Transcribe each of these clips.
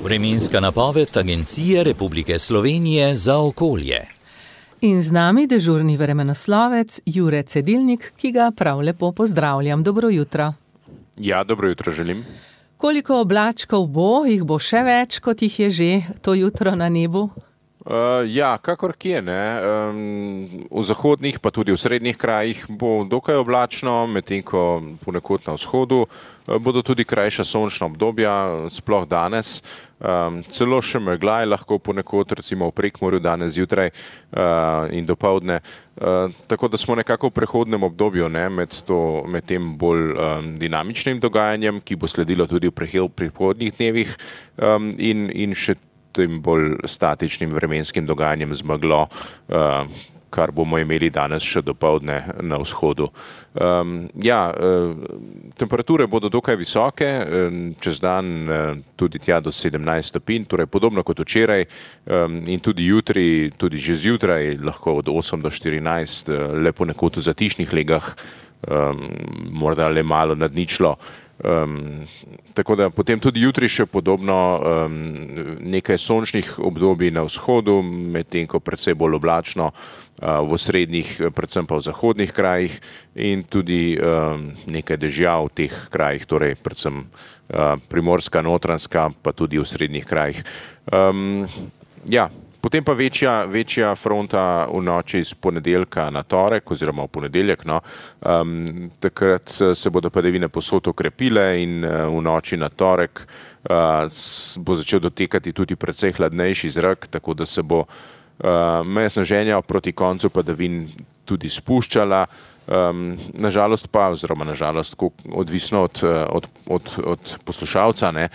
Vremenska napoved Agencije Republike Slovenije za okolje. In z nami dežurni vremenoslovec Jure Cedilnik, ki ga prav lepo pozdravljam. Dobro jutro. Ja, dobro jutro želim. Koliko oblačkov bo? Jih bo še več, kot jih je že to jutro na nebu? Ja, kakor kje, ne. V zahodnih pa tudi v srednjih krajih bo dokaj oblačno, medtem ko ponekod na vzhodu bodo tudi krajša sončna obdobja, sploh danes. Celo še megla je lahko ponekod, recimo v Prekmurju danes zjutraj in dopoldne. Tako da smo nekako v prehodnem obdobju, ne, med tem bolj dinamičnim dogajanjem, ki bo sledilo tudi v prihodnjih dnevih in še tem bolj statičnim vremenskim dogajanjem z meglo, kar bomo imeli danes še dopoldne na vzhodu. Temperature bodo dokaj visoke, čez dan tudi tja do 17 stopinj, torej podobno kot včeraj in tudi jutri, tudi že zjutraj lahko od 8 do 14, le ponekod v zatišnih legah, morda le malo nad ničlo. Tako da potem tudi jutri še podobno nekaj sončnih obdobij na vzhodu, medtem ko precej bolj oblačno v srednjih, predvsem pa v zahodnih krajih in tudi nekaj dežja v teh krajih, torej predvsem Primorska, Notranjska, pa tudi v srednjih krajih. Potem pa večja fronta v noči z ponedeljka na torek oziroma v ponedeljek. Takrat se bodo padavine povsod okrepile in v noči na torek bo začel dotekati tudi precej hladnejši zrak, tako da se bo meja sneženja proti koncu padavin tudi spuščala. Nažalost, odvisno od poslušalca, ne,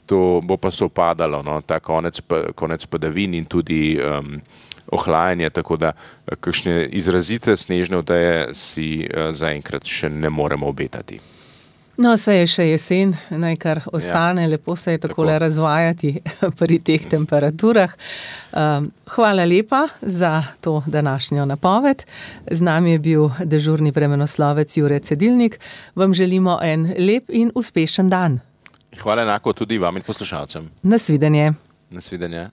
to bo pa sovpadalo, ta konec padavin in tudi ohlajanje, tako da kakšne izrazite snežne odeje si zaenkrat še ne moremo obetati. No, saj je še jesen, naj kar ostane, lepo se je takole razvajati pri teh temperaturah. Hvala lepa za to današnjo napoved. Z nami je bil dežurni vremenoslovec Jure Cedilnik. Vam želimo en lep in uspešen dan. Hvala enako tudi vam in poslušalcem. Nasvidenje. Nasvidenje.